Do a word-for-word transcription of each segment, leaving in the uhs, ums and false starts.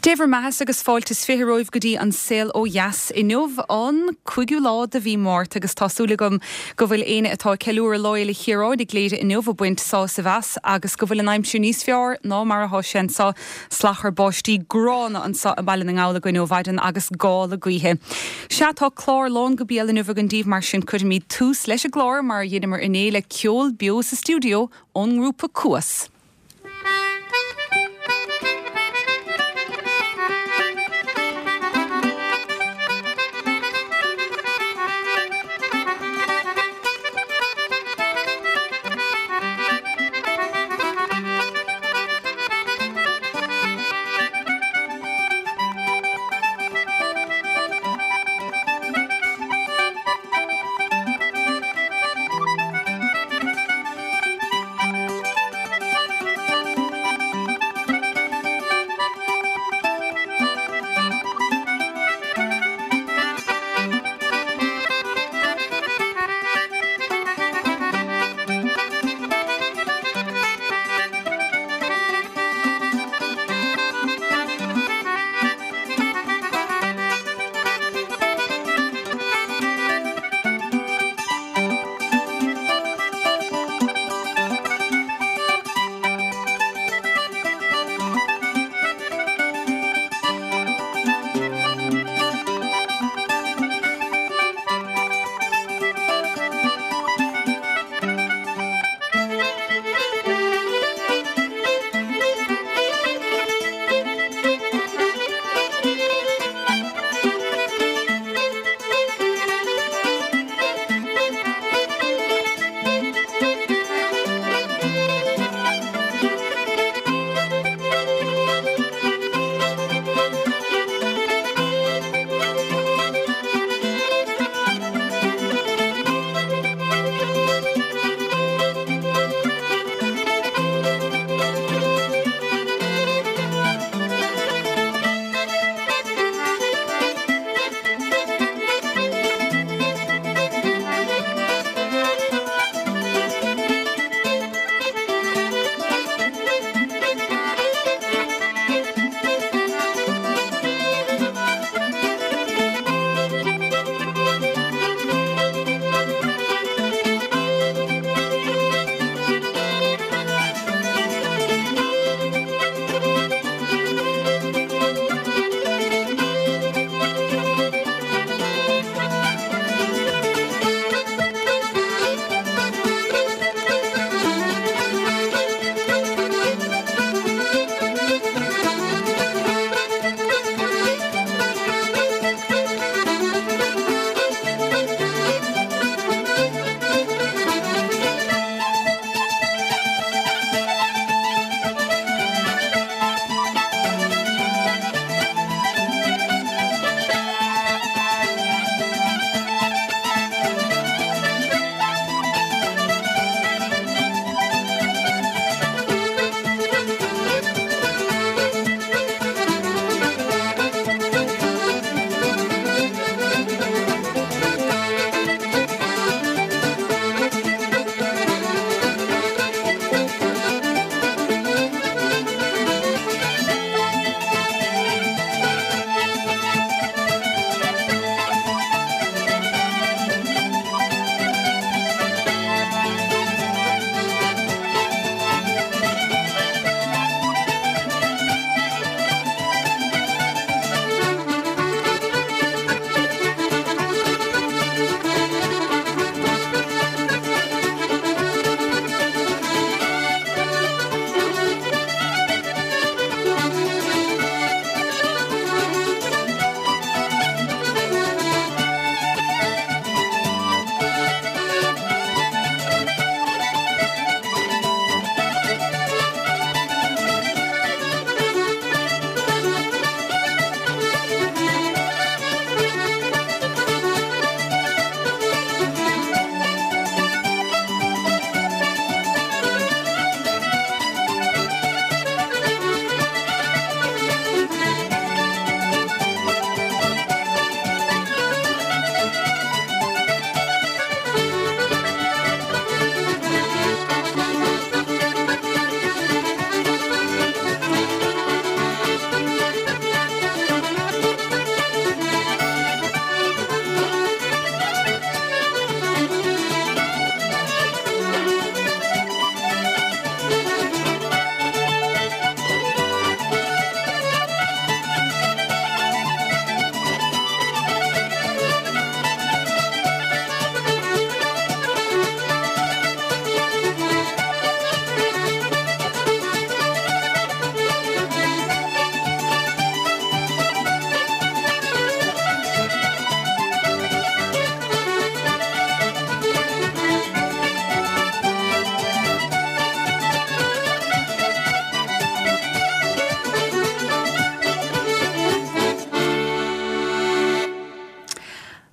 Dé bhur mbeatha agus fáilte is fiche romhaibh go dtí An Saol Ó Dheas inniu an cúigiú lá de mhí Márta agus tá súil agam go bhfuil éinne atá ag ceiliúradh Lá Fhéile Chiaráin i gCléire inniu ag baint sásamh as agus go bhfuil an aimsir níos fearr ná mar atá sé anseo salachar báistí gránna anseo i mBaile na nGall againn ó mhaidin agus gála gaoithe. Sea tá clár lán go béal inniu againn daoibh mar sin cuirfimid tús leis an gclár mar a dheineamar inné le ceol beo sa stiúideo ón ngrúpa Cuas.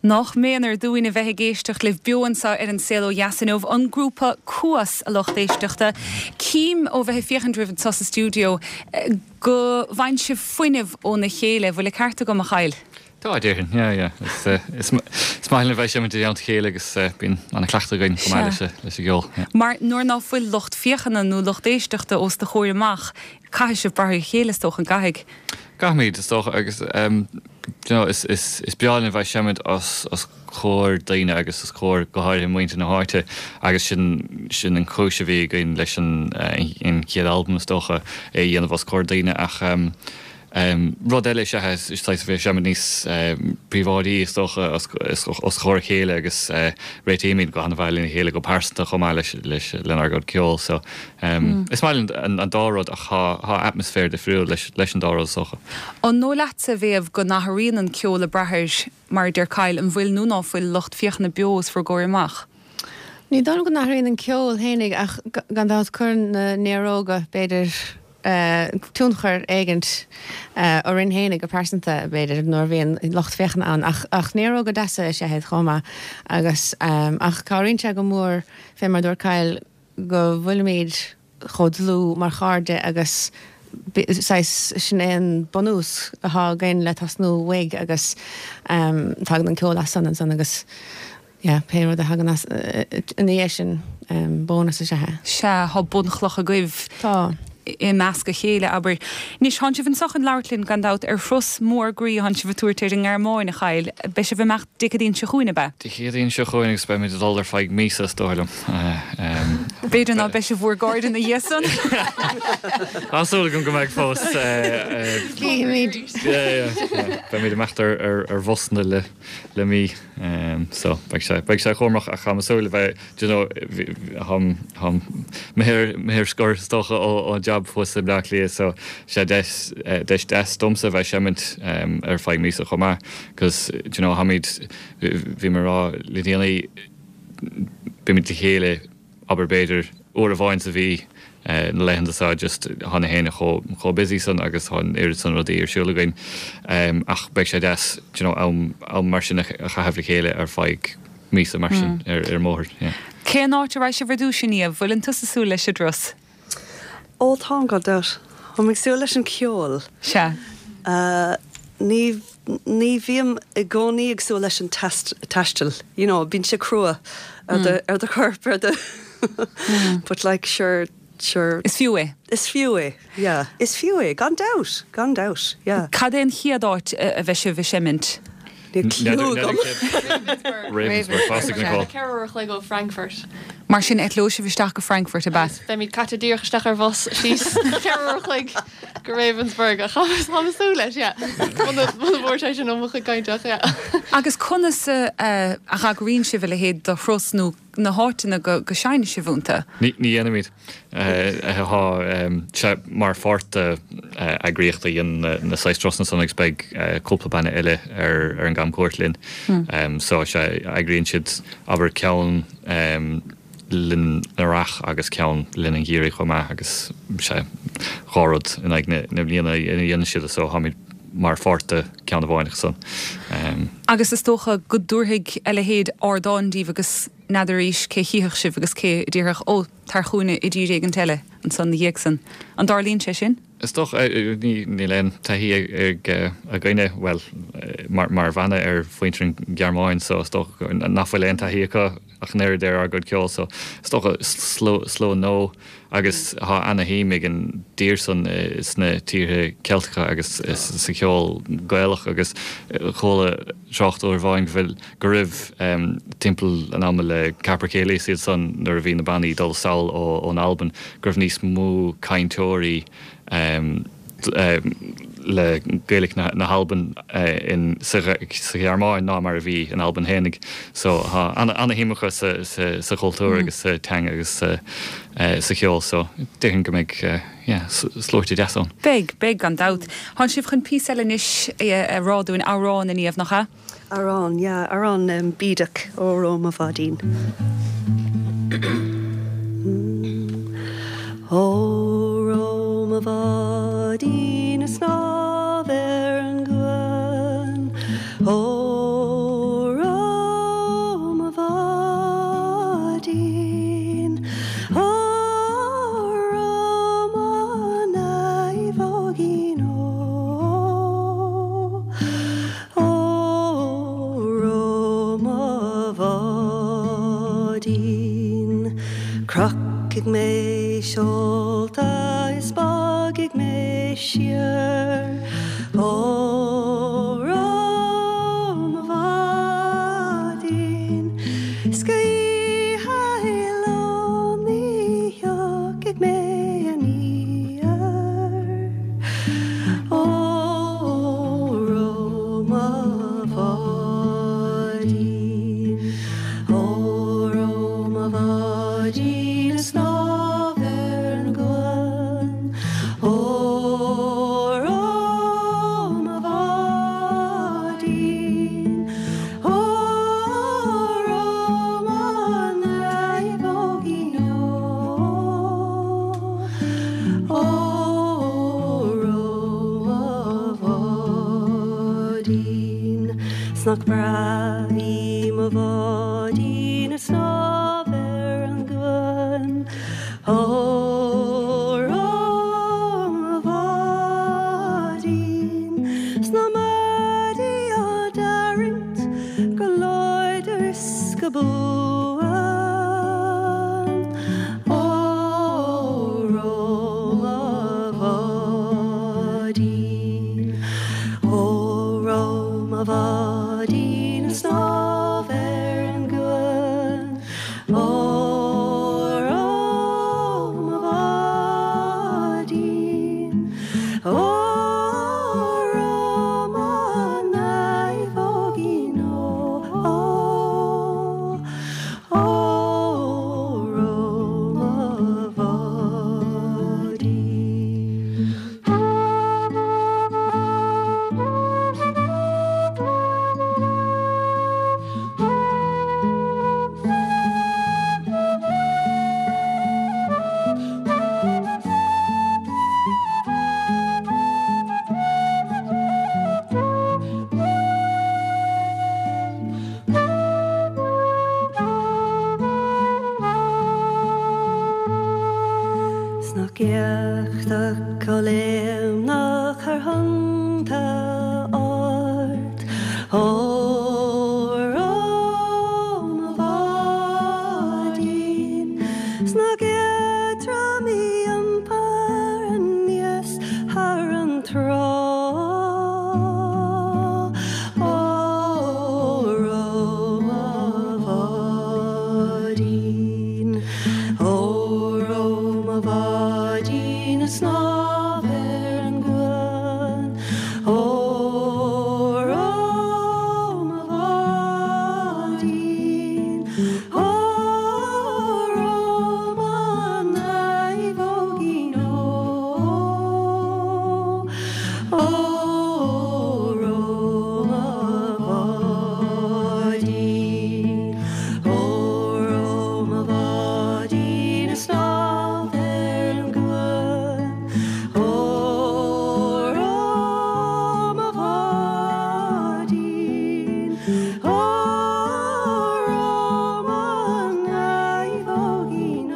Nach méanar dúinn a bheith ag éisteacht libh beo anseo ar An Saol Ó Dheas inniu, an grúpa Cuas, a lucht éisteachta. Cím ó bheith ag féachaint oraibh anseo sa stiúideo go bhfaigheann sibh fuinneamh óna chéile. Bhfuil an ceart agam, a Chaill? Tá, déarfainn, yeah, yeah. Is, is, is maith linn a bheith ag seimint i dteannta a chéile agus bíonn an-chleachtadh againn chomh maith leis, leis an gceol. Yeah. Mar nuair ná fuil lucht féachana nó lucht éisteachta os do chomhair amach, caithfidh sibh brath ar a chéile, is dócha, an gcaithfidh? Caithfimid, is dócha, agus um, you know, is, is, is breá linn a bheith ag seimint os, os comhair daoine agus os comhair go háirithe muintir na háite agus sin, sin an chúis a bhí againn leis an, an chéad albam is dócha é a dhéanamh os comhair daoine ach um, um, rud eile is ea is saghas a bheith ag seimint níos um, príobháidí is dócha os, os, os comhair a chéile agus uh, réitímid go han-mhaith lena chéile go pearsanta chomh maith leis, leis lenár gcuid ceoil so um, mm. is maith linn an, an dá rud ach tá, tá atmaisféar difriúil leis, leis an dá rud is dócha. An dóigh leatsa a Mhéabh go n-athraíonn an ceol ag brath ar mar a deir Kyle an bhfuil nó ná fuil lucht féachana beo os bhur gcomhair amach. Ní dóigh liom go n-athraíonn an ceol fhéinig ach gan dabht cuireann na néaróga b'fhéidir uh, tionchar éigint uh, orainn fhéinig go pearsanta b'fhéidir nuair a bhíonn lucht féachana ann ach, ach néaróga deasa is ea iad chomh maith agus um, ach cabhraíonn sé go mór fé mar dúirt Kyle go bhfuilimid chomh dlúth mar chairde agus saghas sin é an bunús atá againn le tosnú uaidh agus um, tagann an ceol as san ansan agus yeah, pé rud a thagann as uh, ina dhiaidh sin um, bónas is ea é. Sea tá bunchloch agaibh Tá. i measc a chéile abair. Anois tánn sibh anseo chun labhairt linn gan dabht ar thuras mór groí tánn sibh ag tabhairt ar an nGearmáin a Chaill, beidh sibh ag imeacht Dé Céadaoin seo chugainn ab ea? Dé Céadaoin seo chugainn agus beimid ag dul ar feadh míosa is dóigh liom. B'fhéidir ná beidh sibh bhur gcairde ina dhiaidh san. Tá súil agam go mbeidh fós. Cífimid. Beimid ag imeacht ar ar ar bhusanna le le mí so beidh sé beidh sé chomh ach tá súil le bheith you know táim táim ar scor is dócha ó ó job thuas i Bleá Cliath so sé deis deis deas domsa bheith seimint ar feadh míosa chomh maith cos you know tháimid bhí mé ag rá le déanaí bímid le chéile abair b'fhéidir uair amháin sa mhí na laethanta seo just tá na héinne chomh chomh busy san agus tá an oiread san rudaí ar siúl againn ach beidh sé deas you know am am mar sin a chaitheamh le chéile ar feadh míosa mar sin ar ar mbóthar yeah. Cén áit a raghaidh sibh ar dtús a Niamh, bhfuileann tusa ag súil leis an dturas? Ó tá gan dabht. Táim ag súil leis an ceol. Sea. Uh, ní ní bhím i gcónaí ag súil leis an test taisteal. You know, bíonn sé crua ar do ar do chorp ar do But like sure sure Is fiú é. Is fiú é, yeah. Is fiú é, gan dabht, gan dabht, yeah. Cad é an chéad áit a bheidh sibh ag seimint? Níl clue agam. Ravensburg fásaigh Nicole. Ceithre uair a chloig ó Frankfurt. Mar sin eitleoidh sibh isteach go Frankfurt ab ea? Beimid caite díreach isteach ar bhus síos ceithre uair a chloig go Ravensburg ach tá súil leis, yeah. Muna bhfuair sé sin ó mo chuid cainte ach, yeah. Agus conas a eagraíonn sibh a leithéid de thuras nó na háiteanna go go seinneann sibh iontu? Ní ní dhéanaimid. Tá sé mar pháirt eagraíocht a dhéanann na saghas turasanna san agus beidh cúpla banna eile ar ar an gcamchuairt linn. So sé eagraíonn siad abair ceann linn an earrach agus ceann linn an gheimhridh chomh maith agus sé dhá rud in aghaidh na bliana a dhéanann siad so táimid mar pháirt de ceann amháin san. Agus is dócha go dtabharfaidh a leithéid ardán daoibh agus n'fheadar arís cé chífeadh sibh agus cé a déarfadh ó tar chugainne i dtír éigint eile ansan na dhiaidh san. An dtarlaíonn sé sin? Is dócha níl aon taithí ag againne well mar mar bhanna ar mhuintir an Ghearmáin so is dócha nach bhfuil aon taithí acu ach an oiread ar ár gcuid ceoil so is dócha slua nua agus tá ana-shuim ag an dtír san sna tíortha Ceilteacha agus sa cheol Gaelach agus chuala trácht uair amháin go bhfuil go raibh timpeall an ama le Capercaillie is iad san nuair a bhí na bannaí dul sall ón Albain go raibh níos mó cainteoirí le Gaeilge na hAlban in sa Ghearmáin ná mar a bhí in Albain fhéinig. So tá ana-shuim acu sa chultúr agus sa teanga agus sa cheol so déarfainn go mbeidh yeah sluaite deas ann. Beidh, beidh gan dabht. Tánn sibh chun píosa eile anois a rá dúinn, amhrán a Niamh, nach ea? Amhrán, yeah, amhrán um, bídeach Óró mo bháidín. Óró mo bháidín ag snámh ar an gcuan. Óró Glacfaidh mé seolta is bogfaidh mé siar Óró mo bháidín 'S go hoíche Ló ní thiocfaidh mé aniar Óró mo bháidín Óró mo bháidín ag snámh ar an gcuan Óró mo bháidín Óró mo naomhóigín ó Óró mo bháidín 'S nach breá í mo bháidín ag snámh ar an gcuan Óró mo bháidín 'S na maidí á dtarraingt go láidir is go buan Óró mo bháidín Óró mo bháidín ag snámh ar an gcuan Óró mo bháidín Óró mo naomhóigín ó Óró mo bháidín 'S nach éachtach chomh léimneach thar thonnta ard Óró mo bháidín 'S nach éadrom í iompar aníos thar an trá Óró mo bháidín Óró mo bháidín ag snámh ar an gcuan Óró mo bháidín Óró mo naomhóigín ó Óró mo bháidín Óró mo bháidín ag snámh ar an gcuan Óró mo bháidín Óró mo naomhóigín ó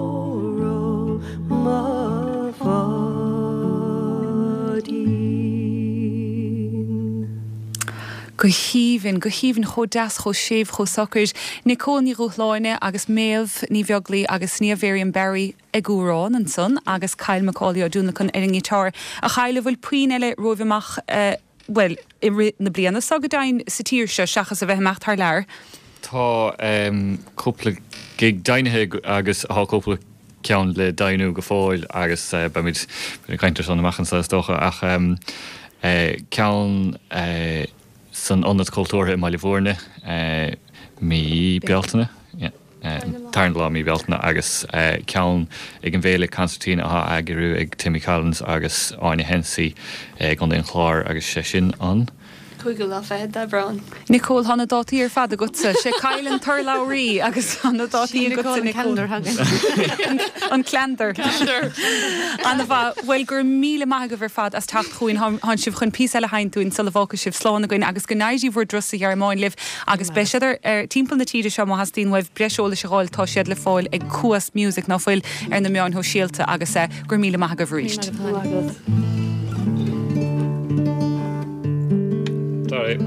Óró mo bháidín Go haoibhinn, go haoibhinn chomh deas chomh séimh chomh socair, Nicole Ní Dhúshláine agus Méabh Ní Bheaglaoí agus Niamh Miriam Barry ag amhrán ansan agus Kyle McCauley Ó Dúnlacan ar an ngiotár a chaile bhfuil puinn eile romhaibh amach uh, well i rith na bliana seo go deimhin sa tír seo seachas a bheith amach thar lear. Tá um, cúpla gig deimhnithe agus tá cúpla ceann le deimhniú go fóill agus uh, beimid ag caint air san amach anseo is dócha ach um, uh, ceann uh, san Ionad Cultúrtha i mBaile Bhúirne uh, mí Bealtaine yeah. Uh, Tarna lá mí Bealtaine agus uh, ceann ag an bhféile Concertina á eagrú ag Timmy Collins agus Áine Hensey uh, Contae an Chláir agus sé sin an. Cúigiú lá fichead d'Aibreán. Nicole tá na dátaí ar fad agatsa sé Kyle an t-urlabhraí agus tá na dátaí agatsa Nicole. An calendar. An-mhaith bhuel go raibh míle maith agaibh ar fad as teacht chugainn tánn sibh chun píosa eile a sheinnt dúinn sula bhfágfaidh sibh slán againn agus go n-éirí bhur dturas sa Ghearmáin libh agus beidh siad ar ar timpeall na tíre seo má theastaíonn uaibh breis eolais a fháil tá siad le fáil ag Cuas Music ná fuil ar na meáin shóisialta agus eh, go raibh míle maith agaibh arís. Sorry.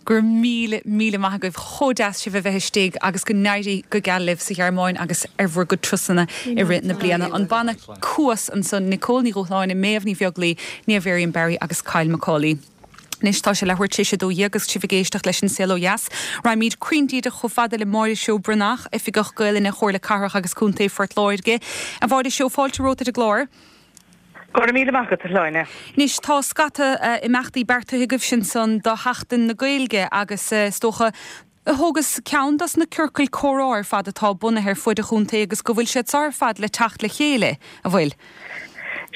Go raibh míle míle maith agaibh chomh deas sibh a bheith istigh agus go n-éirí go geal libh sa Ghearmáin agus ar bhur gcuid turasanna i rith na bliana. An banna Cuas ansan Nicole Ní Dhúshláine, Méabh Ní Bheaglaoi, Niamh Miriam Barry agus Kyle McCauley. Anois tá sé leathuair tar éis a dó dhéag agus sibh ag éisteacht leis an Saol Ó Dheas. Raghaimid cruinn díreach chomh fada le Máire Seó Breathnach, Oifigeach Gaelainne Chomhairle Cathrach agus Contae Phort Láirge. A Mháire Seó fáilte romhat ar an gclár. Go raibh míle maith agat, a Shláine. Anois tá scata imeachtaí beartaithe agaibhse ansan do Sheachtain na Gaeilge agus is dócha thógas ceann dos na ciorcail comhrá ar fad atá bunaithe ar fud an chontae agus go bhfuil siad seo ar fad le teacht le chéile, a bhfuil?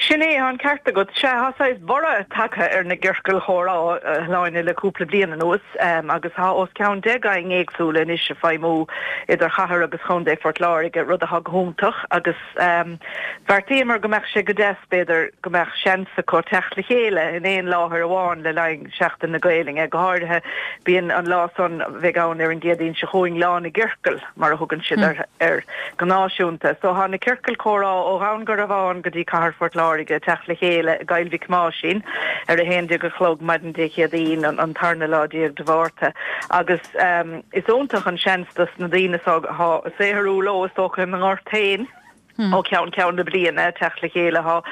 Sin é, tá an ceart agat. Sea, tá saghas borradh tagtha ar na gciorcail chomhrá, a Shláine, le cúpla bliain anuas agus tá os cionn deich gang éagsúla anois ag feidhmiú idir chathair agus chontae Phort Láirge, rud atá go hiontach agus bheartaíomar go mbeadh sé go deas, b'fhéidir, go mbeadh seans acu teacht le chéile in aon láthair amháin le linn Seachtain na Gaelainne. Go háirithe, bíonn an lá san, a bheidh ann ar an gCéadaoin seo chugainn, Lá na gCiorcal, mar a thugann siad air go náisiúnta. So tá na ciorcail comhrá ó Dhún Garbhán go dtí Cathair Phort Láirge ag teacht le chéile i gCoill Mhic Thomáisín ar a haon déag a chlog maidin Dé Céadaoin, an tarna lá déag de Mhárta. Agus is iontach an seans dos na daoine so atá ag saothrú leo, is dócha, ina ngort féin ó cheann ceann na bliana, teacht le chéile. Tá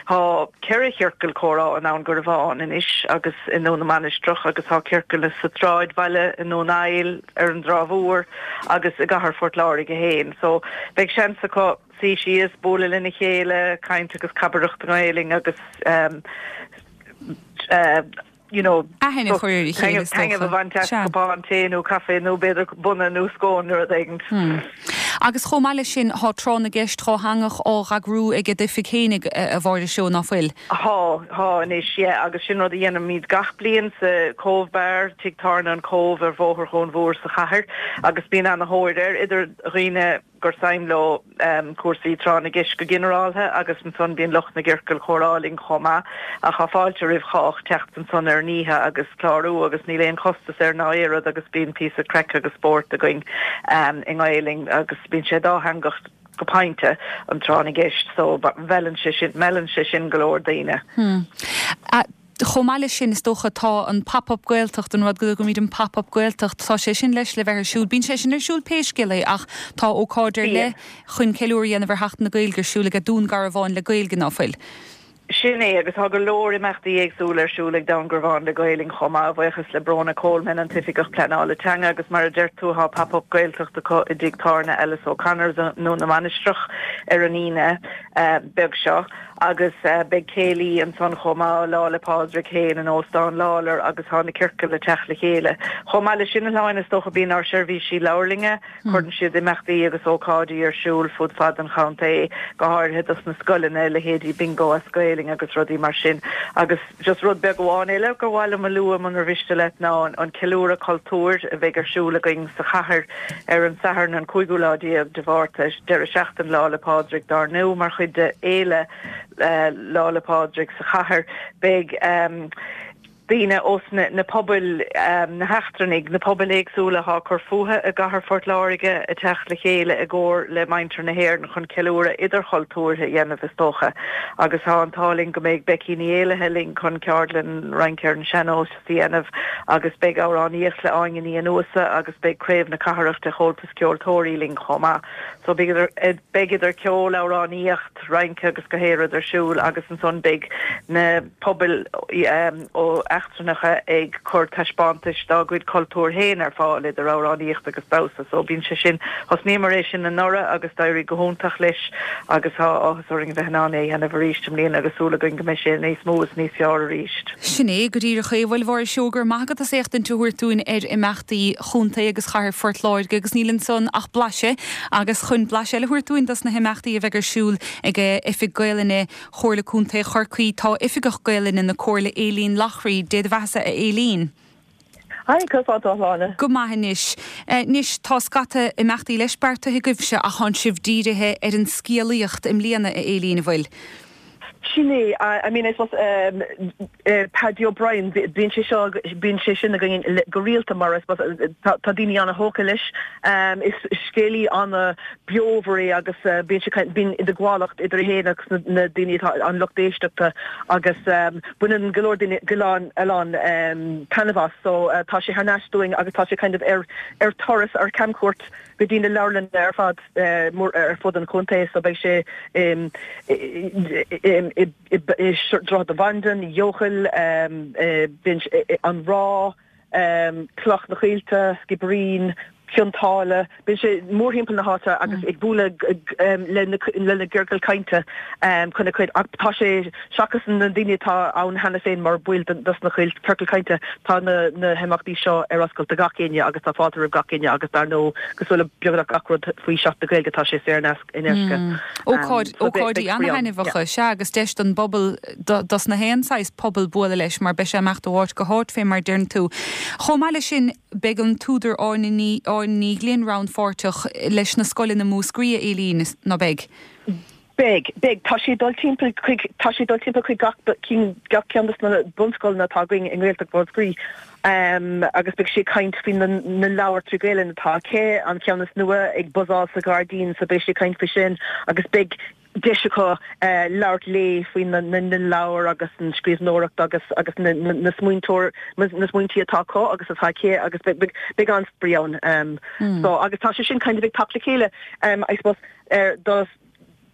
tá ceithre chiorcal comhrá i nDún Garbhán anois agus i nDún na Mainistreach agus tá ciorcal sa tsráidbhaile, i nDún Aill, ar an dTrá Mhór agus i gcathair Phort Láirge féin. So beidh seans acu suí síos, bualadh lena chéile, caint agus cabaireacht i nGaelainn agus you know, aithne a chur ar a chéile, is dócha. Taitneamh a bhaint as cupán tae nó caife nó b'fhéidir bunna nó scone nó rud éigin. Agus chomh maith leis sin, tá tráth na gceist dhátheangach á eagrú ag d'oifig fhéinig, a Mháire Seó, ná fuil? Tá, tá anois, yeah, agus sin rud a dhéanaimid gach bliain sa Cove Bar, Tigh Tábhairne an Cove ar Bhóthar Dhún Mhór sa chathair, agus bíonn ana-thóir air, idir dhaoine gur suim leo cúrsaí tráth na gceist go ginearáltha agus ansan bíonn lucht na gciorcal comhrá linn chomh maith ach tá fáilte roimh chách teacht ansan ar an oíche agus clárú agus níl aon chostas air ná aon rud agus bíonn píosa craic agus spórt againn i nGaelainn agus bíonn sé dátheangach go pointe an tráth na gceist so meallann sé sin meallann sé sin go leor daoine. Chomh maith leis sin, is dócha, tá an Pop Up Gaeltacht, an rud go dtugaimid an Pop Up Gaeltacht, tá sé sin leis le bheith ar siúl. Bíonn sé sin ar siúl pé scéal é ach tá ócáid ar leith chun ceiliúradh a dhéanamh ar Sheachtain na Gaeilge ar siúl ag Dún Garbhán le Gaeilge, ná fuil? Sin é, agus tá go leor imeachtaí éagsúla ar siúl ag Dún Garbhán le Gaelainn chomh maith, a bhuíochas le Bróna Coleman, an tOifigeach Pleanála Teanga, agus mar a deir tú, tá Pop Up Gaeltacht acu i dTigh Tábhairne Alice O'Connor's i nDún na Mainistreach ar an Aoine beag seo. Agus beidh céilí ansan chomh maith, Lá 'le Pádraig féin in Óstán Lawlor agus tá na ciorcail ag teacht le chéile. Chomh maith leis sin, a Shláine, is dócha, bíonn ár seirbhísí leabharlainne, cuireann siad imeachtaí agus ócáidí ar siúl fud fad an chontae, go háirithe dos na scoileanna, leithéidí Bingo as Gaelainn agus rudaí mar sin. Agus just rud beag amháin eile gur mhaith liom a lua, munar mhiste leat, ná an ceiliúradh cultúir a bheidh ar siúl againn sa chathair ar an Satharn an cúigiú lá déag de Mhárta, deireadh seachtaine Lá 'le Pádraig dár ndú, mar chuid de fhéile Lá 'le Pádraig sa chathair. Beidh daoine ós na pobail, na heachtrannaigh, na pobail éagsúla atá ag cur fúthu i gcathair Phort Láirge ag teacht le chéile i gcomhar le muintir na hÉireann chun ceiliúradh idirchultúrtha a dhéanamh is dócha. Agus tá an t-ádh linn go mbeidh Becky Ní Éallaithe linn chun ceardlann rince ar an sean-nós a dhéanamh agus beidh amhránaíocht le Áine Ní Fhionnúsa agus beidh Craobh na Cathrach de Chomhaltas Ceoltóirí linn chomh maith. So beidh idir ceol, amhránaíocht, rince agus gach aon rud ar siúl agus ansan beidh na pobail ó eachtrannacha ag cur taispeántais dá gcuid cultúr féin ar fáil idir amhránaíocht agus damhsa so bíonn sé sin, thosnaíomar é sin anuraidh agus d'éirigh go hiontach leis agus tá áthas orainn a bheith in ann é a dhéanamh arís i mbliana agus súil againn go mbeidh sé níos mó is níos fearr arís. Sin é go díreach é. Bhuel, a Mháire Seó, go raibh maith agat as éachtaint a thabhairt dúinn ar imeachtaí chontae agus chathair Phort Láirge agus níl ansan ach blaiseadh agus chun blaiseadh eile a thabhairt dúinn dos na himeachtaí a bheidh ar siúl ag Oifig Gaelainne Chomhairle Contae Chorcaí tá Oifigeach Gaelainne na Comhairle, Aileen Loughrey. Dé do bheathasa, a Aileen. Hi, conas tá tú, a Shláine? Go maith anois. Anois, tá scata imeachtaí leis beartaithe agaibhse ach tánn sibh dírithe ar an scéalaíocht i mbliana, a Aileen, an bhfuil? Sin é I mean I suppose um, uh, Paddy O'Brien bíonn sé seo bíonn sé sin againn go rialta mar I suppose tá daoine an-tógtha leis um, is scéalaí an-bheomhar é agus uh, bíonn sé bíonn idirghabhálacht idir é féin agus na, na daoine an lucht éisteachta agus um, baineann go leor daoine go leor an um, taitneamh as so uh, tá sé thar n-ais dúinn agus tá sé kind of ar ar turas ar camchuairt go dtí na leabharlanna ar fad uh, ar fud an chontae so beidh sé um, i Droichead na Bandan, Eochaill, um, an Ráth, um, Cloch na Coillte, Skibbereen, Cionn tSáile, Bíonn sé mórthimpeall na háite agus ag bualadh le na ciorcail cainte chun cuid tá sé seachas na daoine atá ann cheana féin mar bhaill dos na ciorcail cainte tá na na himeachtaí seo ar oscailt do gach éinne agus tá fáilte roimh gach éinne agus dar ndóigh cosúil le beagnach gach rud faoi Seachtain na Gaeilge tá sé saor in aisce. Ócáid ócáidí an-thaitneamhacha sea agus deis don bpobal dos na haon saghas pobal bualadh leis mar beidh sé ag imeacht ó áit go háit fé mar a deireann tú. Chomh maith leis sin beidh an t-údar Áine Ní Ní Ghlinn rannpháirteach leis na scoileanna Múscraí a Éilín ná beidh. Beidh, beidh tá sé dul timpeall chuig tá sé dul timpeall chuig gach cinn gach ceann des na bunscoileanna atá againn i nGaeltacht Mhúscraí. Um, agus beidh sé ag caint faoi na, na leabhair trí Ghaelainn atá aici an ceann is nua ag buzzáil sa ghairdín so beidh sé ag caint faoi sin agus beidh deis acu uh, labhairt léi faoi na, na, na leabhair agus an scríbhneoireacht agus agus na, na, na smaointeoir na smaointí atá acu agus atá aici agus beidh an-spraoi ann um, mm. so agus tá sé sin kind of ag teacht le chéile um, I suppose er, dos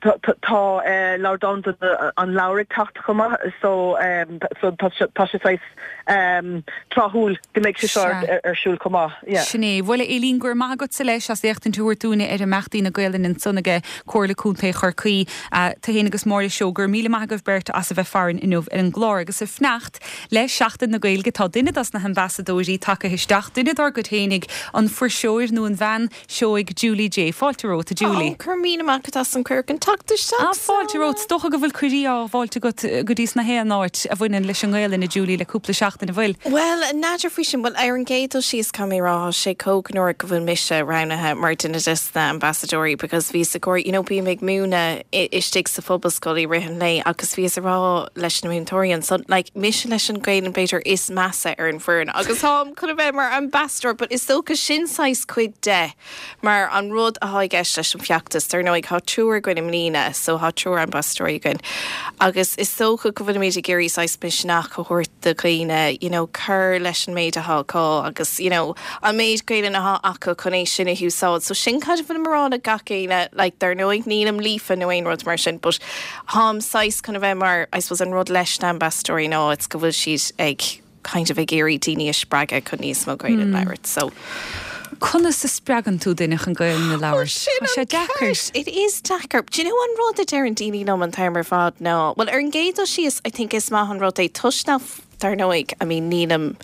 tá uh, Lá Domhanda an Leabhair ag teacht chomh maith so um, so tá sé um, tráthúil go mbeidh sé seo ar, ar siúl chomh maith. Yeah. Sin é bhuel Éilín go raibh maith agatsa leis as éachtaint a thabhairt dúinne ar imeachtaí na Gaelainne ansan aige Comhairle Contae Chorcaí uh, tú féin agus Máire Seoighe go raibh míle maith agaibh beirt as a bheith farainn inniu ar an gclár agus ag fanacht le Seachtain na Gaeilge tá duine dos na hambasadóirí tagtha isteach duine dár gcuid féinig an fuirseoir nó an bhean Seoighe Julie J. Fáilte romhat Julie. Go raibh míle maith agat as an cuireadh teacht Ah, fáilte romhat is dócha go bhfuil cuirí á bhfáilte go go dtí na haon áit a bhaineann leis an nGaelainn a Julie le cúpla seachtain an bhfuil. Well n'fheadar faoi sin well ar an gcéad dul síos caithfidh mé rá sé cógnóir go bhfuil mise roghnaithe mar duine des na ambasadóirí because bhí sa gcóir you know bím ag múineadh istigh sa phobalscoil i rith an lae agus bhíos ag rá leis na múinteoirí anso like mise leis an Ghaelainn b'fhéidir is measa ar an bhfoireann agus táim chun a bheith mar ambassador but is dócha sin saghas cuid de mar an rud atá i gceist leis an feachtas dar ndóigh tá triúr againn i mbliana so tá triúr ambasadóirí againn agus is dócha go bhfuilimid ag iarraidh saghas misneach a thabhairt do dhaoine you know cur leis an méid atá acu agus you know an méid Gaelainn atá acu chun é sin a úsáid so sin cad bhfuil mar le gach éinne like dar ndóigh nílim líofa nó aon rud mar sin but táim saghas chun a bheith mar I suppose an rud leis na ambasadóirí ná it's go bhfuil siad ag kind of ag iarraidh daoine a spreagadh chun níos mó Gaelainn mm. labhairt so Conas a spreagann tú duine chun Gaelainn a labhairt Tá sé deacair. It is deacair. Do you know an rud a deireann daoine liom an t-am ar fad ná Well ar an gcéad dul síos I think is maith an rud é toisc nach dar ndóigh I mean nílim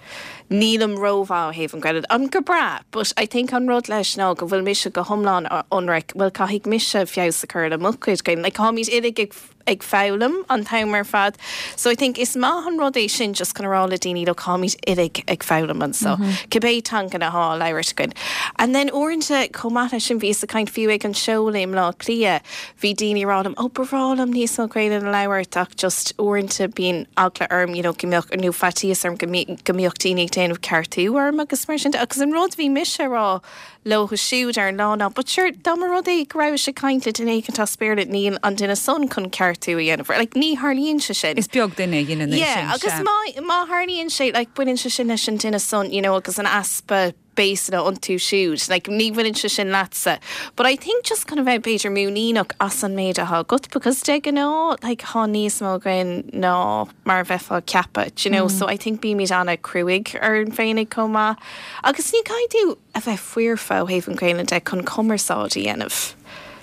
nílim rómhaith ó thaobh an Ghaelainn an go breá, but I think an rud leis ná go bhfuil mise go hiomlán ionraic, well caithfidh mise feabhas a chur le mo chuid Gaelainn like táimid uilig ag ag foghlaim an t-am ar fad. So I think is maith an rud é sin just chun rá le daoine le táimid uilig ag foghlaim anseo. Mm -hmm. Cibé teanga atá á labhairt againn. And then uaireanta chomh maith leis sin bhí sa caint fiú ag an seoladh i mBleá Cliath, bhí daoine ag rá liom ó ba bhreá liom níos mó Gaelainn a labhairt ach just uaireanta bíonn eagla orm you know, go mbeadh nó faitíos orm go mbeadh daoine ag déanamh ceartú orm agus mar sin agus an rud bhí mise rá leo siúd ar an lá ná, but sure dá mba rud é go raibh sé caint le duine éicint as Béarla níl an duine san chun ceartú a dhéanamh like ní tharlaíonn sé sin. Is beag duine dhéanann é sin. agus má má tharlaíonn sé like baineann sé sin leis an duine san you know, agus an easpa béasna iontu siúd, like ní bhaineann sé sin leatsa. But I think just kind of bheith b'fhéidir muiníneach as an méid atá agat because de ghnáth like tá níos mó againn ná mar bheifeá ag ceapadh, you know, mm. so I think bímid an-chruaidh orainn féinig chomh maith. Agus ní caithfidh tú a bheith foirfe ó thaobh an Ghaelainn de chun cumarsáid a dhéanamh.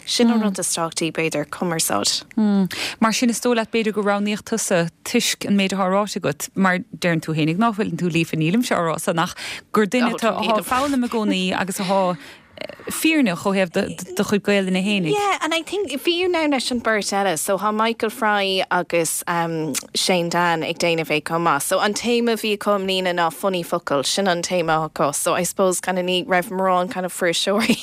Sin an mm. rud is tábhachtaí b'fhéidir cumarsáid. Mm. Mar sin is dóigh leat b'fhéidir go roghnaíodh tusa toisc an méid atá ráite agat mar deireann tú féinig nach bhfuil tú líofa nílim se rá san ach gur duine atá ag foghlaim i gcónaí agus atá fírinneach ó thaobh do chuid Gaelainne fhéinig. Yeah, and I think fiú now leis an beirt eile, so tá Michael Fry agus um, Shane Dan ag déanamh é chomh maith. So an téama bhí acu i mbliana ná funny focal, sin an téama acu. So I suppose kind of ní raibh mórán kind of fuirseoirí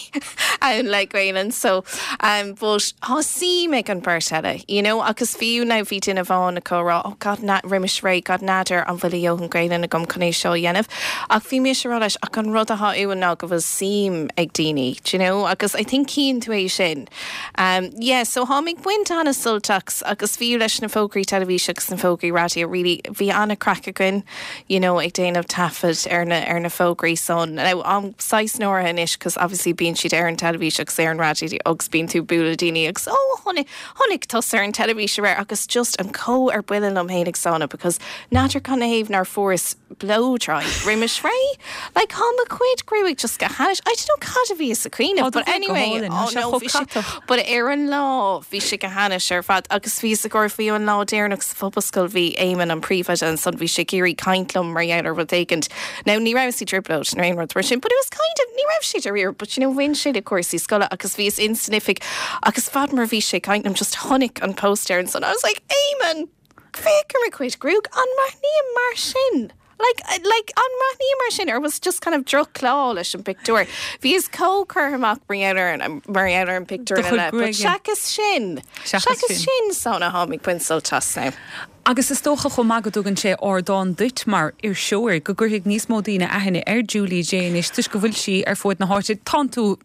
ann le Gaelainn. So um, but tá suim ag an beirt eile, you know, agus fiú now bhí duine amháin acu rá, oh God, na, roimis ré, God n'fheadar an bhfuil a ndóthain Gaelainn agam chun é seo a dhéanamh. Ach bhí mise ag rá leis ach an rud atá uainn ná go bhfuil suim ag daoine, do you know, agus I think cíonn tú é sin. Um, yeah, so táim ag baint an-sult as agus fiú leis na fógraí teilifíse agus na fógraí raidió really bhí an-chraic againn, you know, ag déanamh taifead ar na ar na fógraí san. Now, am saghas náireach anois cos obviously bíonn siad ar an teilifís agus ar an raidió agus bíonn tú bualadh daoine agus oh chonaic chonaic tusa ar an teilifís aréir agus just an có ar buile liom fhéinig sána because n'fheadar cad ina thaobh nár fuaireas blow dry roimis ré like tá mo chuid gruaig just go hainnis I don't know cad a bhí sa cuimhneamh but anyway oh no bhí sé but ar an lá bhí sé go hainnis ar fad agus bhí sa gur bhí an lá deireanach sa phobalscoil bhí Éamonn an príomhoide ansan bhí sé ag iarraidh caint liom mar gheall ar rud éigin. Now ní raibh sí trioblóid nó aon rud mar sin, but it was kind of ní raibh sé dáiríre, but you know bhain sé le cúrsaí scoile agus bhíos in san oifig agus fad mar bhí sé caint liom just chonaic an poster ansan I was like Éamonn féach ar mo chuid gruaig an mbreathnaím mar sin. Like, like an mbreathnaím mar sin or was just kind of drochlá leis an pictiúr. Bhíos chomh curtha amach mar ar mar ar an pictiúr eile, but seachas sin seachas sin sána táim ag baint sult as now. Agus is dócha chomh maith go dtugann sé ardán duit mar iriseoir go gcuirfidh níos mó daoine aithne ar Julie Jay anois toisc go bhfuil sí ar fud na háite Tá tú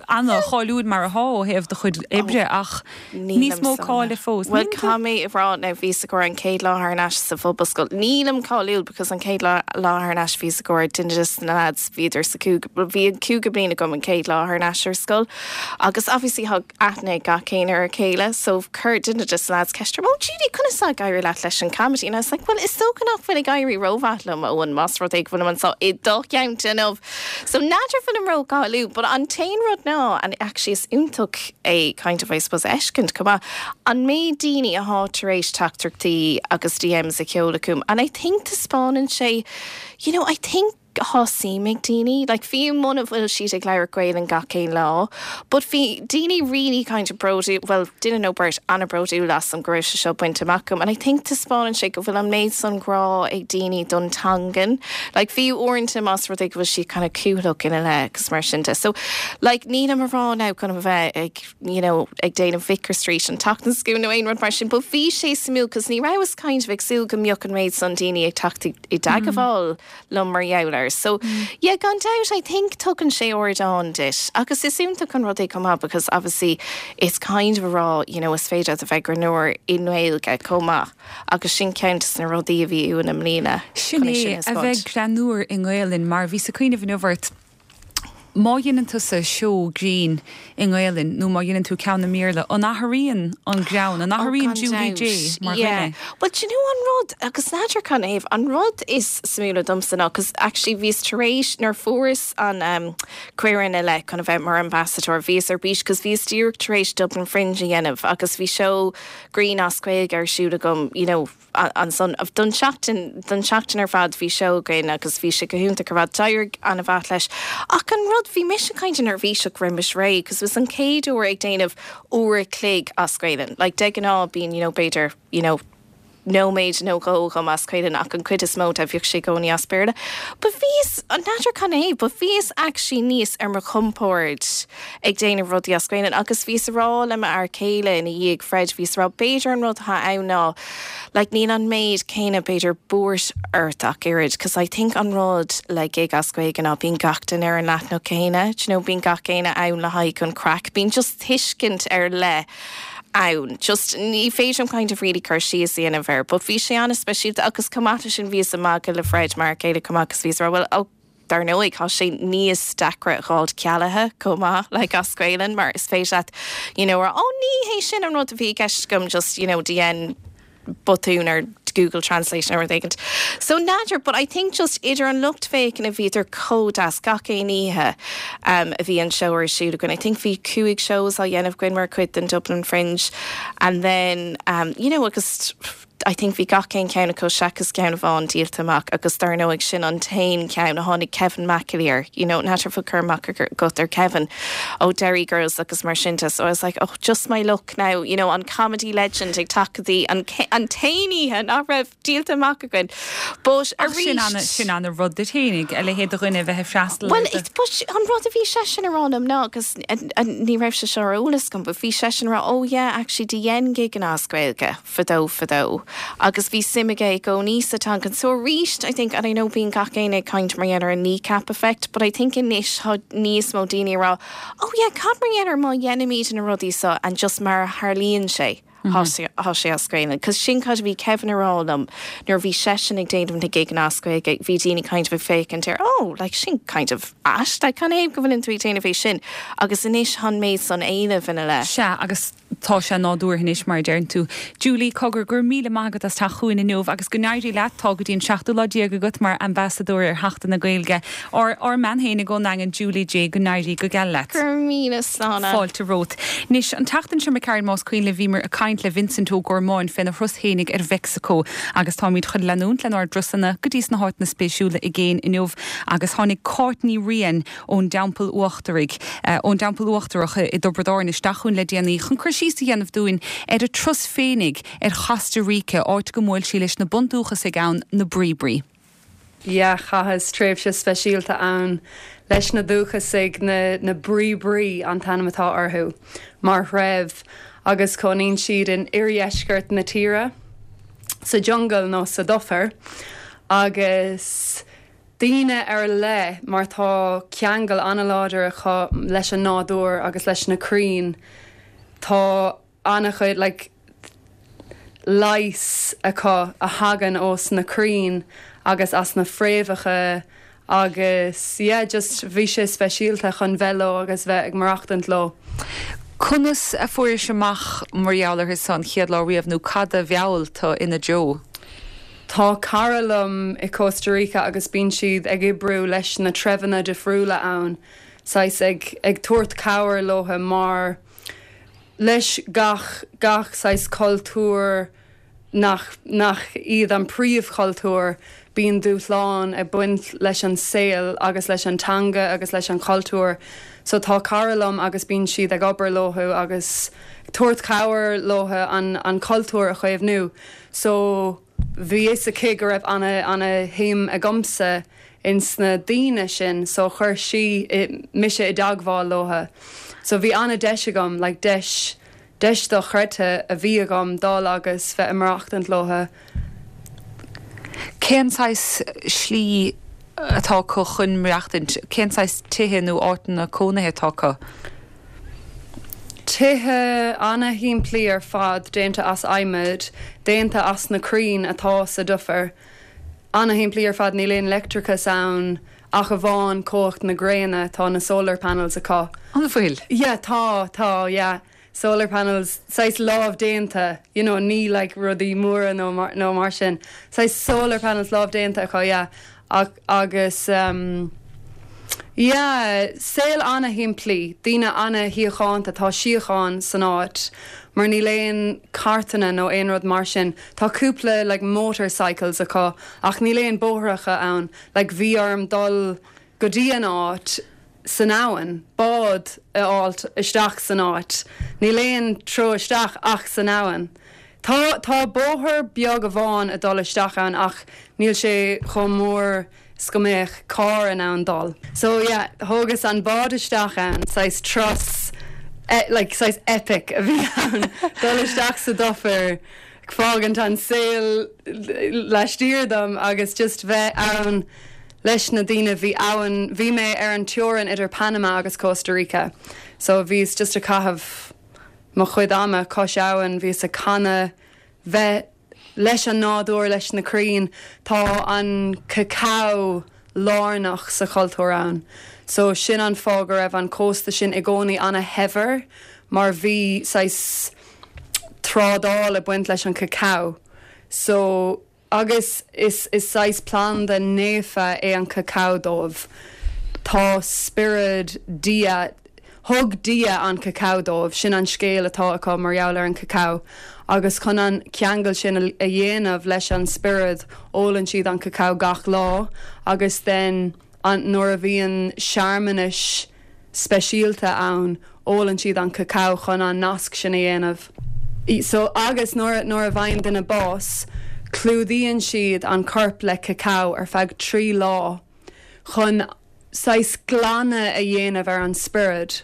an-cháiliúil mar atá ó thaobh do chuid oibre ach níos mó cáile fós. Well tá mé rá now bhí go an chéad lá thar n-ais sa phobalscoil. Nílim cáiliúil because an chéad lá thar n-ais bhí go duine na lads bhíodar sa bhí an cúigiú bliain agam an chéad lá thar n-ais ar scoil. Agus obviously thug aithne gach éinne ar a chéile, so chuir duine des lads ceist orm, oh Judy conas ag éirí leat leis an comedy and I was like, well is dócha nach bhfuil ag éirí rómhaith liom ón más rud é go bhfuil anseo i do cheann inniu. So n'fheadar bhfuilim rócháiliúil, but an t-aon rud ná and actually is iontach é kind of I suppose fheiscint chomh maith an méid daoine atá tar éis teachtaireachtaí agus DMs a sheoladh chugam and I think taispeánann sé you know I think tá suim ag daoine, like fiú muna bhfuil siad ag labhairt Gaelainn gach aon lá, but bhí daoine really kind of bródúil well duine nó beirt an-bhródúil asam go raibh sé seo bainte amach agam, and I think taispeánann sé go bhfuil an méid san grá ag daoine don teangain, like fiú uaireanta más rud é go bhfuil siad kind of cúthaileach ina leith agus mar sin de. So like nílim ag rá now chun a bheith ag you know ag déanamh Vicar Street an tseachtain seo nó aon rud mar sin, but bhí sé suimiúil cos ní rabhas kind of ag súil go mbeadh an méid san daoine ag teacht i dteagmháil liom mar gheall air. So yeah, gan doubt I think tugann sé ardán duit agus is iontach an rud é chomh maith because obviously it's kind of a rá you know is féidir a bheith greannmhar i nGaeilge chomh maith agus sin ceann de na rudaí a bhí uainn i mbliana. Sin é a bheith greannmhar i nGaelainn mar bhí sa cuimhneamh inniu ort má dhéanann tusa seó grinn i nGaelainn nó má dhéanann tú ceann i mBéarla an athraíonn an greann an athraíonn Julie Jay mar dhuine. Well you know an rud agus n'fheadar cad ina thaobh an rud is suimiúla domsa ná cos actually bhíos tar éis nuair fuaireas an um, cuireadh le chun a bheith mar ambassador bhíos ar bís cos bhíos díreach tar éis Dublin Fringe a dhéanamh agus bhí seó grinn as Gaeilge ar siúl agam you know, ansan don seachtain don seachtain ar fad bhí seó againn agus bhí sé go hiontach ar fad d'éirigh an-mhaith leis. Ach an rud bhí mise kind of neirbhíseach roimis ré, cos was an chéad uair ag déanamh uair a chloig as Gaelainn. Like de ghnáth bíonn you know, b'fhéidir you know, nóiméad nó dhó agam as Gaelainn ach an chuid is mó de bhíodh sé i gcónaí as Béarla. But bhíos an n'fheadar cad é, but bhíos actually níos ar mo chompord ag déanamh rudaí as Gaelainn agus bhíos ag rá le m'fhear céile ina dhiaidh Fred bhíos ag rá b'fhéidir an rud atá ann ná like níl an méid céanna b'fhéidir buairt ort ach oiread, cos I think an rud le gig as Gaeilge ná bíonn gach duine ar an leathanach céanna, do you know, bíonn gach éinne ann le haghaidh an craic, bíonn just tuiscint ar leith ann. Just ní féidir kind of really cur síos a dhéanamh air, but bhí sé an-speisialta agus chomh maith leis sin bhíos ag magadh le Fred mar chéile chomh maith agus bhíos ag rá well ó dar ndóigh tá sé níos deacra a fháil cealaithe chomh maith like as Gaelainn mar is féidir leat you know, ó ní hé sin an rud a bhí i gceist agam just you know, déan botún ar Google Translation or éigin. So n'fheadar, but I think just idir an lucht féachana bhíodar chomh deas gach aon oíche um, a bhí an seó ar siúl againn. I think bhí cúig shows á dhéanamh againn mar chuid den Dublin Fringe and then um, you know agus I think bhí gach aon ceann acu seachas ceann amháin díolta amach agus dar ndóigh sin an t-aon ceann a tháinig Kevin McAleer, you know, n'fheadar bhfuil cur amach agat ar Kevin ó Derry Girls agus mar sin de so I was like oh just my luck now, you know, an comedy legend ag teacht go dtí an an t-aon oíche nach raibh díolta amach againn. But arís sin an-rud duit féinig a leithéid de dhuine bheith ag freastal. Well but an rud a bhí seisean ag rá liom ná agus ní raibh sé seo ar eolas agam, but bhí seisean ag rá oh yeah actually do dhein gigeanna as Gaeilge fadó fadó agus bhí suim aige i gcónaí sa teanga. So arís I think and I know bíonn gach éinne ag caint mar gheall ar an kneecap effect, but I think anois tá níos mó daoine ag rá oh yeah cad mar gheall ar má dhéanaimid na rudaí seo and just mar a tharlaíonn sé. Tá sé as Gaeilge. Cos sin cad a bhí Kevin ag rá liom nuair bhí seisean ag déanamh na gigeanna as Gaeilge bhí daoine kind of ag féachaint air oh like sin kind of ait like can go bhfuil tú ag déanamh é sin agus anois an méid san éileamh ina leith. Sea agus tá sé nádúrtha anois mar a deireann tú. Julie cogar go raibh míle maith agat as teacht chugainn inniu agus go n-éirí leat tá go dtí an seachtú lá déag agat mar ambasadóir ar Sheachtain na Gaeilge. Ár ár mbean féinig ón nDaingean Julie J go n-éirí go geal leat. Go raibh míle slán. Fáilte romhat. Anois an tseachtain seo imigh más cuimhin libh bhíomar ag caint le Vincent Ó Gormáin féna thuras féinig ar Mheicsiceo agus táimid chun leanúint lenár dturasanna go dtí sna háiteanna spéisiúla i gcéin inniu agus tháinig Cáit Ní Riain ón dTeampall Uachtaraigh ón dTeampall Uachtarach i dTiobraid Árann isteach chugainn le déanaí chun cur síos a dhéanamh dúinn ar a turas féinig ar Chosta Rica áit go mbuail sí leis na bundúchasaigh ann na Bribri. Yeah, chaitheas tréimhse speisialta ann leis na dúchasaigh na, na Bribri an t-ainm atá orthu mar threibh agus cónaíonn siad in oirdheisceart na tíre sa jungle nó sa dufair agus daoine ar leith mar tá ceangal an-láidir acu leis an nádúr agus leis na crainn tá an-chuid like, leigheas acu a thagann ós na crainn agus as na fréamhacha agus yeah, just bhí sé speisialta chun bheith leo agus bheith ag maireachtaint leo. Conas a fuairis amach mar gheall orthu san chéad lá riamh nó cad a mheall tú ina dtreo? Tá cara liom i Costa Rica agus bíonn siad ag oibriú leis na treibheanna difriúla ann, saghas ag, ag tabhairt cabhair leo mar leis gach gach saghas cultúr nach nach iad an príomhchultúr bíonn dúshlán ag baint leis an saol agus leis an teanga agus leis an chultúr. So tá cara liom agus bíonn siad ag obair leo agus tabhairt cabhair leo an, an cultúr a chaomhnú. So bhí fhios aici go raibh ana ana-shuim agamsa ins na daoine sin, so chuir sí mise i dteagmháil leo. So bhí an-deis agam, like deis deis dochreidte a bhí agam dul agus bheith ag maireachtaint leo. Cén saghas slí atá acu chun maireachtaint, cén saghas tithe nó áiteanna cónaithe atá acu? Tithe ana-shimplí ar fad déanta as adhmad, déanta as na crainn atá sa dufair. Ana-shimplí ar fad níl aon leictreachas ann ach amháin cumhacht na gréine tá na solar panels acu. An bhfuil? Yeah, tá tá yeah. Solar panels saghas lámhdhéanta, you know, ní like rudaí móra nó mar, nó mar sin. Saghas solar panels lámhdhéanta acu yeah. Ach, agus um, yeah, saol ana-shimplí, daoine ana-shíochánta tá síocháin san áit, mar níl aon carranna nó aon rud mar sin. Tá cúpla like, motorcycles acu ach níl aon bóithreacha ann, like, bhí orm dul go dtí an áit san abhainn, bád a fháilt isteach san áit. Níl aon treo isteach ach san abhainn. Tá tá bóthar beag amháin a dul isteach ann ach níl sé chomh mór is go mbeadh carr in ann dul. So yeah, thógas an bád isteach ann, saghas turas e like, saghas epic a bhí ann dul isteach sa dufair fágaint an saol laistiar dom agus just bheith ann leis na daoine bhí ann bhí mé ar an teorainn idir Panama agus Costa Rica. So bhíos just ag caitheamh mo chuid ama cois abhann bhíos ag canadh bheith leis an nádúr leis na crainn tá an cacao lárnach sa chultúr ann. So sin an fáth go raibh an cósta sin i gcónaí ana-shaibhir mar bhí saghas trádáil ag baint leis an cacao. So agus is is saghas planda naofa é an cacao dóibh. Tá spiorad Dia Thug Dia an cacao dóibh, sin an scéal atá acu mar gheall ar an cacao, agus chun an ceangal sin a dhéanamh leis an spiorad ólann siad an cacao gach lá agus then an nuair a bhíonn searmanais speisialta ann ólann siad an cacao chun an nasc sin a dhéanamh. So agus nuair nuair a bhfaigheann duine bás, clúdaíonn siad an corp le cacao ar feadh trí lá chun saghas glanadh a dhéanamh ar an spiorad.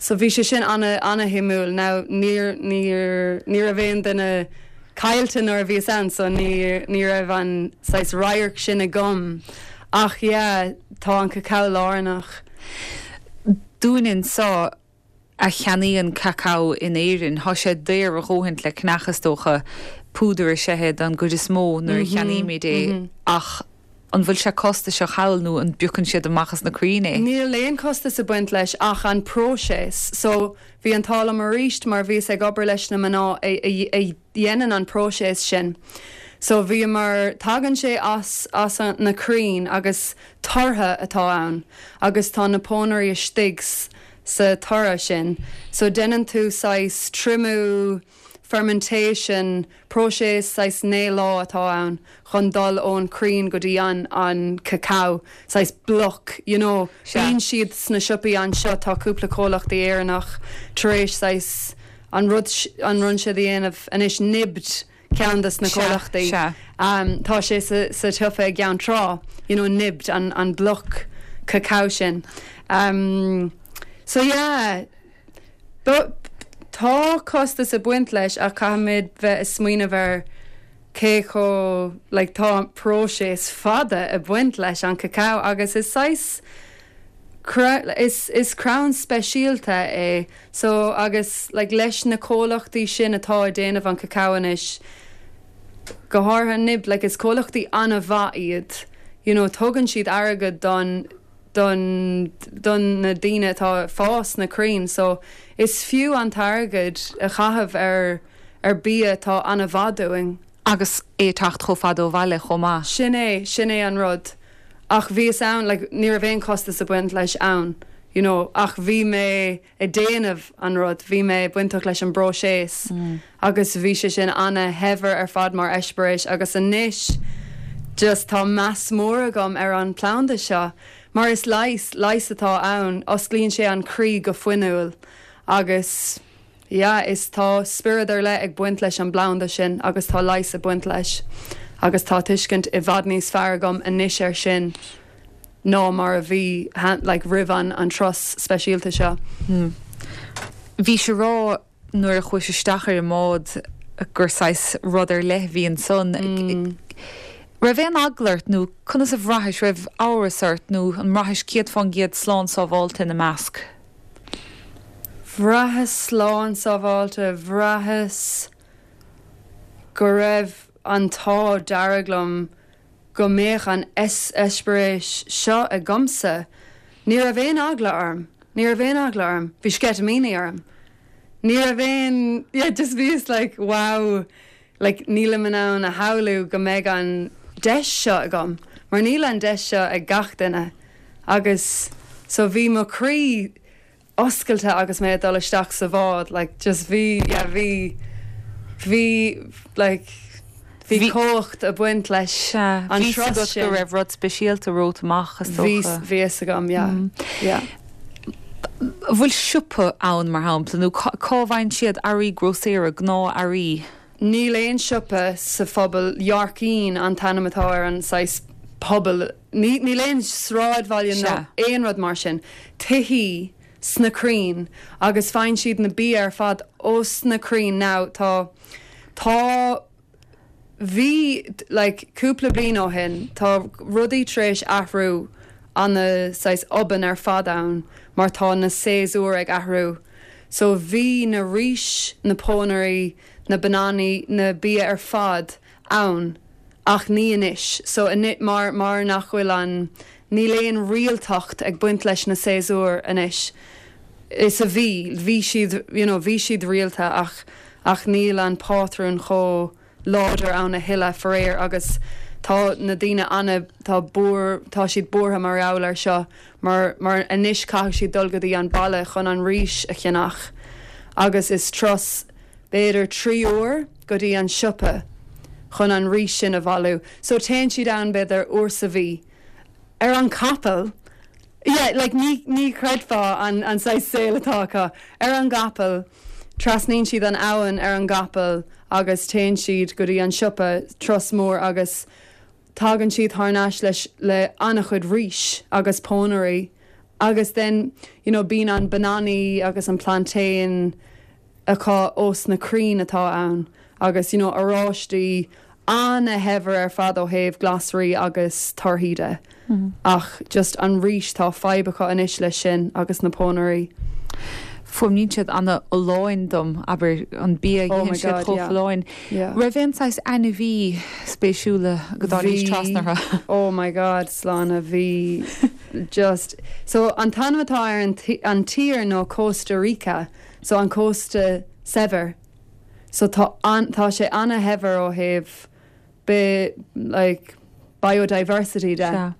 So bhí sé sin ana ana-shuimiúil now níor níor ní raibh aon duine caillte nuair a bhíos ann so ní ní raibh an saghas radharc sin agam ach yeah tá an cacao lárnach. Dúinn anseo a cheannaíonn cacao in Éirinn, tá sé daor a dhóthain le ceannach is dócha púdar is ea don gcuid is mó nuair a cheannaímid é ach an bhfuil sé costasach thall nó an bpiocann siad amach as na crainn é? Níl aon costas ag baint leis ach an próiseas. So bhí an t-ádh liom arís mar bhíos ag obair leis na mná a, a, a dhéanann an próiseas sin. So bhí mar tagann sé as as an, na crainn agus tortha atá ann agus tá na pónairí istigh sa toradh sin. So déanann tú saghas triomú, fermentation, próiseas saghas naoi lá atá ann chun dul ón crann go dtí an an cacao, saghas bloc, you know. Bíonn siad sna siopaí anseo tá cúpla comhlachtaí Éireannach tar éis saghas an rud an rud seo a dhéanamh anois nibbed ceann des na comhlachtaí. Um, tá sé sa, sa tsiopa i gCeann Trá, you know, nibbed an, an bloc cacao sin. Um, so yeah, but tá costas ag baint leis ach caithfimid bheith ag smaoineamh ar cé chomh like, tá próiseas fada ag baint leis an cacao agus is saghas is, is crann speisialta é so agus like, leis na comhlachtaí sin atá ag déanamh an cacao anois go háirithe nib like, is comhlachtaí an-mhaith iad you know, tugann siad airgead don don don na daoine atá fás na crainn so is fiú an t-airgead a chaitheamh ar ar bia atá an-mhaith dúinn. Agus é teacht chomh fada ó bhaile chomh maith. Sin é sin é an rud. Ach bhíos ann like, ní raibh aon costas ag baint leis ann. You know, ach bhí mé ag déanamh an rud, bhí mé bainteach leis an bpróiseas mm. agus bhí sé sin ana-shaibhir ar fad mar eispéireas agus anois just tá meas mór agam ar an planda seo. Mar is leigheas leigheas atá ann, osclaíonn sé an croí go fuinniúil agus yeah, is tá spiorad ar leith ag baint leis an bplanda sin agus tá leigheas ag baint leis. agus tá tuiscint i bhfad níos fearr agam anois air sin ná mar a bhí like, roimh an an turas speisialta seo. Hmm. Bhí sé rá nuair a chuaigh isteach ar an mbád gur saghas rud ar leith bhí ansan. Mm. Raibh aon eagla ort nó conas a bhraithis raibh amhras ort nó an mbraithis céad faoin gcéad slán sábháilte ina measc. Bhraitheas slán sábháilte bhraitheas go raibh an t-ádh dearg liom go mbeadh an eispéireas seo agamsa. Ní raibh aon eagla orm, Ní raibh aon eagla orm, bhí sceitimíní orm. Ní raibh aon yeah, just bhíos like wow, like nílim in ann a shamhlú go mbeidh an deis seo agam, mar níl an deis seo ag gach duine agus so bhí mo chroí oscailte agus mé ag dul isteach sa bhád, like just bhí yeah, bhí bhí like bhí cumhacht ag baint leis an turas go raibh rud speisialta romhat amach bhí bhí a fhios agam yeah mm. yeah. Bhfuil siopa ann mar shampla nó cá bhfaigheann siad earraí grósaera gnáth-earraí? Níl aon siopa sa phobal Yorkeen an t-ainm atá ar an saghas pobal níl aon sráidbhaile nó aon rud mar sin. Tithí sna crainn agus faigheann siad na bia ar fad ós na crainn now tá tá bhí like cúpla bliain ó shin tá rudaí tar éis athrú ana saghas obann ar fad ann mar tá na séasúir ag athrú. So bhí na rís, na pónairí, na bananaí, na bia ar fad ann ach ní anois. So mar mar nach bhfuil an níl aon rialtacht ag baint leis na séasúir anois. Is a bhí bhí siad you know, bhí siad rialta ach ach níl an pátrún chomh láidir ann a thuilleadh faraor agus tá na daoine ana tá buar tá siad buartha mar gheall air seo mar mar anois caithfidh siad dul go dtí an baile chun an rís a cheannach agus is turas b'fhéidir trí uair go dtí an siopa chun an rís sin a bhailiú. So téann siad ann b'fhéidir uair sa mhí. Ar an capall yeah, like ní ní chreidfeá an an saghas saol atá acu ar an gcapall trasnaíonn siad an abhainn ar an gcapall agus téann siad go dtí an siopa turas mór agus tagann siad thar n-ais leis le an-chuid rís agus pónairí agus then you know bíonn an bananaí agus an plantain acu ós na crainn atá ann agus you know oráistí an-shaibhir ar fad ó thaobh glasraí agus torthaí de. Ach just an rís tá fadhb acu anois leis sin agus na pónairí. Fuaimníonn siad an-fholláin dom abair an bia Oh my itheann siad God, chomh yeah. folláin. Yeah. Raibh aon saghas ainmhí spéisiúla go dtáinig trasna orthu. Oh my God, Slána bhí just so an t-ainm atá ar an tí- an tír ná Costa Rica, so an cósta saibhir. So tá an tá sé an-shaibhir ó thaobh bi like biodiversity de. Sea.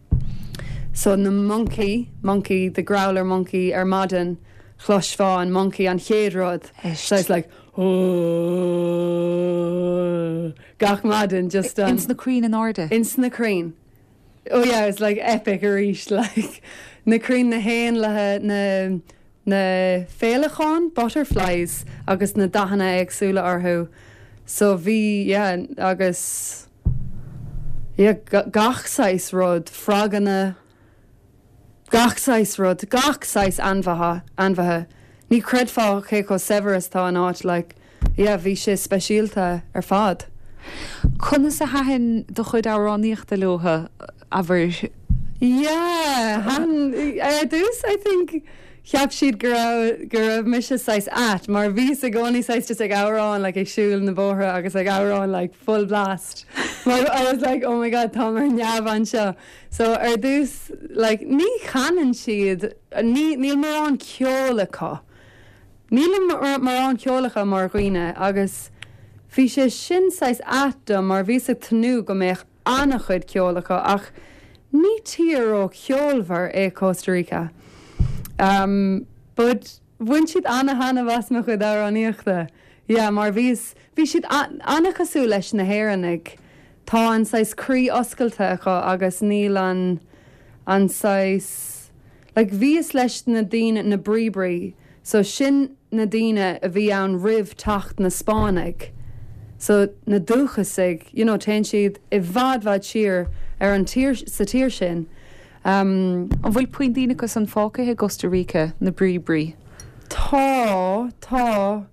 So na monkey, monkey, the growler monkey ar maidin chloisfeá an monkey an chéad rud. So it's like oh, gach maidin just um, Ins na crainn in airde. ins na crainn. Oh yeah, it's like epic arís like na crainn na héanlaithe na na féileacáin butterflies agus na dathanna éagsúla orthu. So bhí yeah, agus yeah, ga- gach saghas rud froganna gach saghas rud gach saghas ainmhithe ainmhithe. Ní chreidfeá cé chomh saibhir is tá an áit like yeah, bhí sé speisialta ar fad. Conas a thaitin do chuid amhránaíochta leo abair Yeah, han ar dtús I think cheap siad go raibh go raibh mise saghas ait mar bhíos i gcónaí saghas just ag amhrán like ag siúl na bóithre agus ag amhrán like full blast. Mar I was like oh my god tá mar neamh anseo. So ar dtús like ní chanann siad ní níl mórán ceol acu. Níl mórán ceol acu mar dhaoine agus bhí sé sin saghas ait dom mar bhíos ag tnúth go mbeadh an-chuid ceol acu ach ní tír ró-cheolmhar é Costa Rica. Um, but bhain siad an-taitneamh as mo chuid amhránaíochta. Yeah, mar bhís bhí siad an-chosúil leis na hÉireannaigh. Tá an saghas croí oscailte acu agus níl an an saghas like bhíos leis na daoine na Bribri, so sin na daoine a bhí ann roimh teacht na Spáinnigh. So na dúchasaigh, you know, téann siad i bhfad bhfad siar ar an tír sa tír sin. Um, An bhfuil puinn daoine acu san fágtha i Costa Rica na Bribri. Tá tá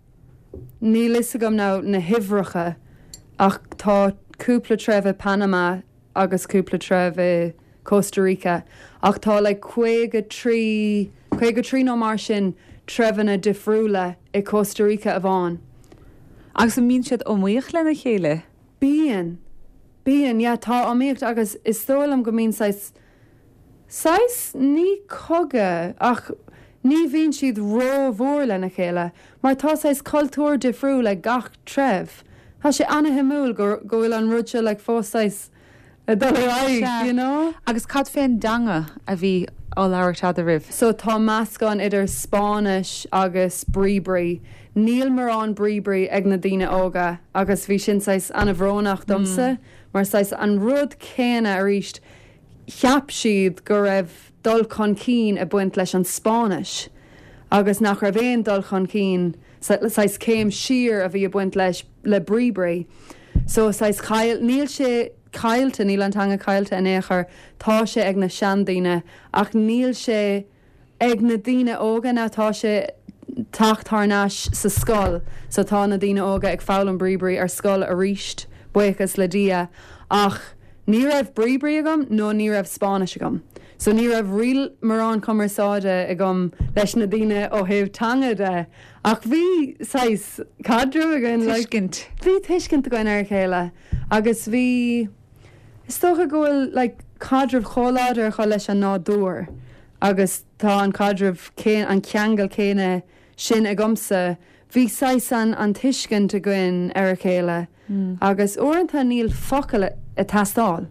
níl fhios agam ná na huimhreacha ach tá cúpla treibh i Panama agus cúpla treibh i Costa Rica ach tá le caoga trí caoga trí nó mar sin treibheanna difriúla i Costa Rica amháin. Agus an mbíonn siad iomaíoch lena chéile? Bíonn Bíonn yeah, tá iomaíocht agus is dóigh liom go mbíonn saghas saghas ní cogadh ach ní bhíonn siad rómhór lena chéile, mar tá saghas cultúr difriúil ag gach treibh. Tá sé an-shuimiúil go go bhfuil an rud seo like fós saghas ag dul ar aghaidh, you know? Agus cad fén dteanga a bhí á labhairt eadraibh. So tá meascán idir Spáinnis agus Bribri. Níl mórán Bribri ag na daoine óga agus bhí sin saghas an-bhrónach domsa, mar saghas an rud céanna arís cheap siad go raibh dul chun cinn ag baint leis an Spáinnis agus nach raibh aon dul chun cinn saghas céim siar a bhí ag baint leis le Bribri. So saghas chaill níl sé caillte níl an teanga caillte in aon chor tá sé ag na seandaoine ach níl sé ag na daoine óga ná tá sé teacht thar n-ais sa scoil, so tá na daoine óga ag foghlaim Bribri ar scoil arís buíochas le Dia ach ní raibh Bribri agam nó ní raibh Spáinnis agam. So ní raibh really mórán cumarsáide agam leis na daoine ó thaobh teanga de ach bhí saghas caidreamh againn like, Tuiscint. Bhí tuiscint againn ar a chéile agus bhí is dócha go bhfuil like, caidreamh chomh láidir acu leis an nádúr agus tá an caidreamh cén an ceangal céanna sin agamsa bhí saghas an an tuiscint againn ar a chéile mm. agus uaireanta níl focail ag teastáil.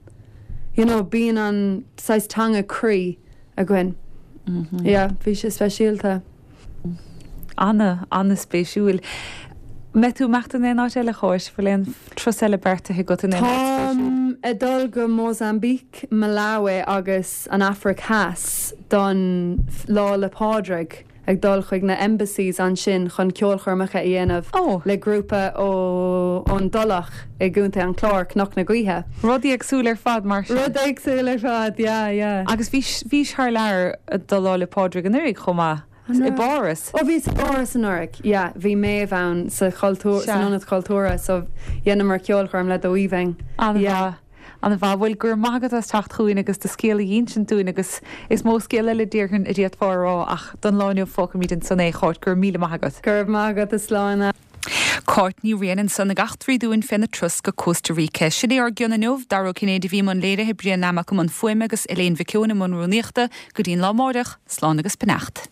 you know, bíonn an saghas teanga croí againn. Mm -hmm. Yeah, bhí sé speisialta. Ana an-spéisiúil. Mbeidh tú ag imeacht in aon áit eile Cháit bhfuil aon turas eile beartaithe agat in aon áit spéisiúil? Táim ag dul go Mozambique, Malawi agus an Afraic Theas don Lá 'le Pádraig ag dul chuig na embassies ansin chun ceolchoirmeacha a dhéanamh oh. le grúpa ó ón Tulach i gContae an Chláir Cnoc na Gaoithe. Rud éagsúil ar fad mar sin. Rud éagsúil ar fad, yeah, yeah. Agus bhí bhís thar lear do Lá 'le Pádraig anuraidh chomh maith. I bPáras. Ó bhí sa bPáras anuraidh, yeah, bhí Méabh ann sa chultúr san ionad cultúrtha so dheineamar ceolchoirm le The Weaving. An-mhaith. An-mhaith. Bhuel, go raibh maith agat as teacht chugainn agus do scéal a dh'insint dúinn agus is mó scéal eile déarfainn a d'fhéadfá a rá ach don lá inniu fágfaimid ansan é, a Cháit, go raibh míle maith agat. Go raibh maith agat, a Sláine. Cáit Ní Riain ansan ag eachtraí dúinn féna turas go Costa Rica. Sin é ár gcion inniu, Dara Ó Cinnéide a bhí i mbun léirithe, Brian Nammock i mbun fuaime agus Elaine Mhic Eoin i mbun rúnaíochta, go dtí'n lá amáireach, slán agus beannacht.